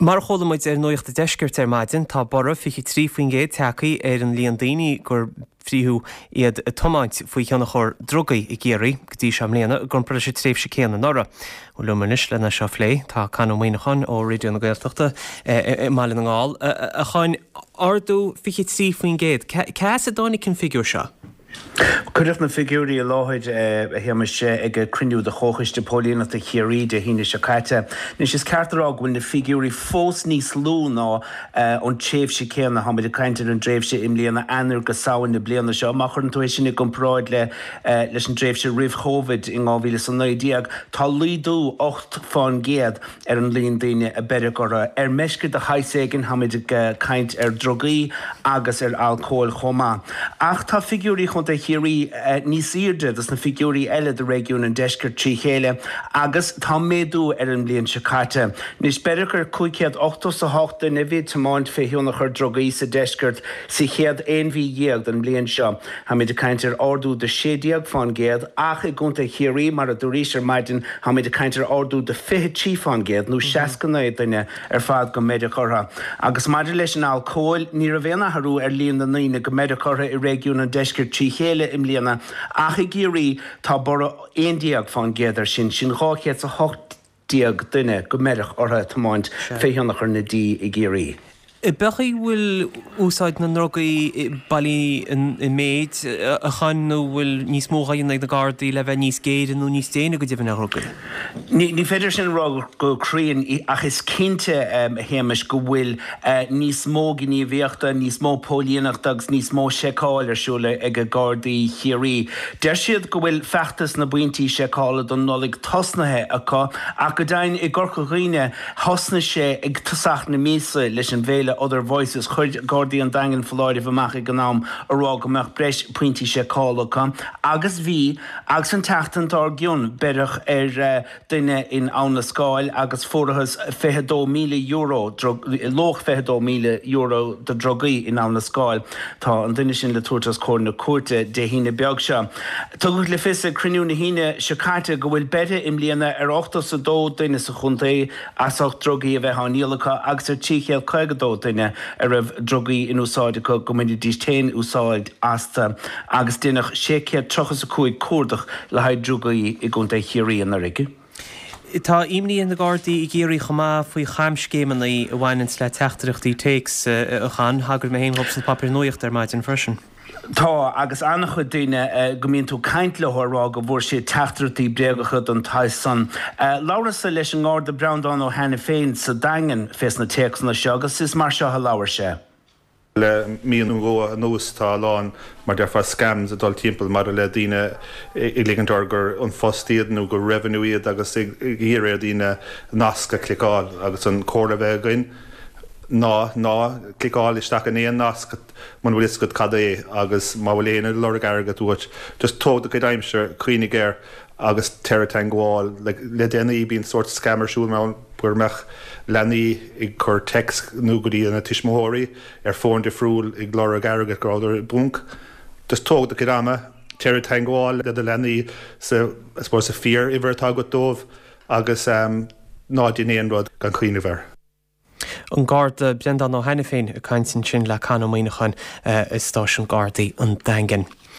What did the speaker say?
Mar a chuala muid ar Nuacht an Deiscirt ar maidin, tá borradh 23% tagtha ar an líon daoine gur frítheadh iad ag tiomáint faoi thionchar drugaí i gCiarraí go dtí seo i mbliana i gcomparáid leis an tréimhse céanna anuraidh. Bhuel liom anois lena seo a phlé tá Con Ó Muíneacháin ó Raidió na Gaeltachta i mBaile na nGall. A Choin, ardú 23%, cá as a dtáinig an figiúr seo? Cuireadh na figiúirí i láthair, a Shéamais, ag cruinniú de Chomhchoiste Póilíneachta Chiarraí Dé hAoine seo caite. Anois, is ceart a rá go bhfuil na figiúirí fós níos lú ná an tréimhse céanna, táimid ag caint ar an dtréimhse i mbliana, Eanáir go Samhain na bliana seo. Má chuireann tú é sin i gcomparáid le leis an dtréimhse roimh Chóivid in 2019, tá laghdú 8 fán gcéad ar an líon daoine a beireadh orthu ar meisce de shaghas éigin, táimid ag caint ar drugaí agus ar alcól chomh maith. Ach tá figiúirí Chontae Chiarraí níos airde dos na figiúirí eile do réigiún an deiscirt trí chéile agus tá méadú ar an mbliain seo caite. Anois, beireadh ar 588 duine a bhí ag tiomáint fé thionchar drugaí sa deisceart sa chéad 11 mhí den mbliain seo. Táimid ag caint ar ardú de 16 fán gcéad ach i gContae Chiarraí, mar a dúraís ar maidin, táimid ag caint ar ardú de 23 fán gcéad nó 69 duine ar fad go mbeireadh orthu. Agus maidir leis an alcól, ní raibh aon athrú ar líon na ndaoine go mbeireadh orthu i réigiún an deiscirt trí chéile i mbliana ach i gCiarraí tá borradh 11 fán gcéad air sin, sin 218 duine go mbeireadh orthu ag tiomáint fé thionchar na dí i gCiarraí. Ab é go bhfuil úsáid na ndrugaí bailithe i méid, a Choin, nó bhfuil níos mó á dhéanamh ag na Gardaí le bheith níos géire nó níos déine go deimhin ar dhrugaí? Ní féidir sin a rá go cruinn ach is cinnte, a Shéamais, go bhfuil níos mó gníomhaíochta, níos mó póilíneachta agus níos mó seiceáil ar siúl ag Gardaí Chiarraí. Deir siad go bhfuil feachtas na bpointí seiceála don Nollaig tosnaithe acu ach go deimhin i gCorca Dhuibhne, Thosnaigh sé ag tosach na míosa leis an bhféile Other Voices. Chuir Gardaí an Daingin foláireamh amach ag an am a rá go mbeadh breis pointí seiceála acu agus bhí agus an tseachtain dár gcionn beireadh ar duine in Abhainn an Scáil agus fuarathas €22,000, luach €22,000 de drugaí in Abhainn an Scáil. Tá an duine sin le tabhairt os comhair na cúirte Dé hAoine beag seo. Tugadh le fios ag cruinniú na hAoine seo caite go bhfuil beirthe i mbliana ar 82 duine sa chontae as ucht drugaí a bheith á ndíol acu agus ar 352 duine a raibh drugaí in úsáid acu go mbainfidís féin úsáid astu agus deineadh 635 cuardach le haghaidh drugaí i gContae Chiarraí anuraidh. Tá imní ar na Gardaí i gCiarraí chomh maith faoi chamscéimeanna a bhaineanns le teachtaireachtaí téacs, a Chon. Thagair mé féin dhóibh sna páipéir nuachta ar maidin freisin. Tá, agus an-chuid daoine go mbíonn tú ag caint leo ag rá go bhfuair siad teachtaireachtaí bréagacha den tsaghas san. Labhrasa leis an nGarda Breandán Ó hAiniféin sa Daingean fés na téacsanna seo agus is mar seo a labhair sé. Le mí nó dhó anuas tá a lán, mar déarfá, scams ag dul timpeall maidir le daoine ag ligint orthu gur An Post iad nó gur Revenue iad agus ag iarraidh ar dhaoine nasc a chliceáil agus an comhairle a bheadh againn ná ná cliceáil isteach in aon nasc muna bhfuil fhios agat cad é agus má bhfuil éinne ag lorg airgead uait just tóg do chuid aimsire, cuimhnigh air agus téir i dteangmháil. Le déanaí bíonn sórt scam ar siúl ann go mbeadh leanaí ag cur text nó go dtí a tuismitheoirí ar fón difriúil ag lorg airgead go rabhadar i bponc. Just tóg do chuid ama, téir i dteangmháil le do leanaí sa, I suppose, sa fíor uimhir atá agat dóibh agus ná déan aon rud gan cuimhneamh air. An Garda Breandán Ó hAiniféin ag caint ansin le Con Ó Muíneacháin i Stáisiún Gardaí an Daingin.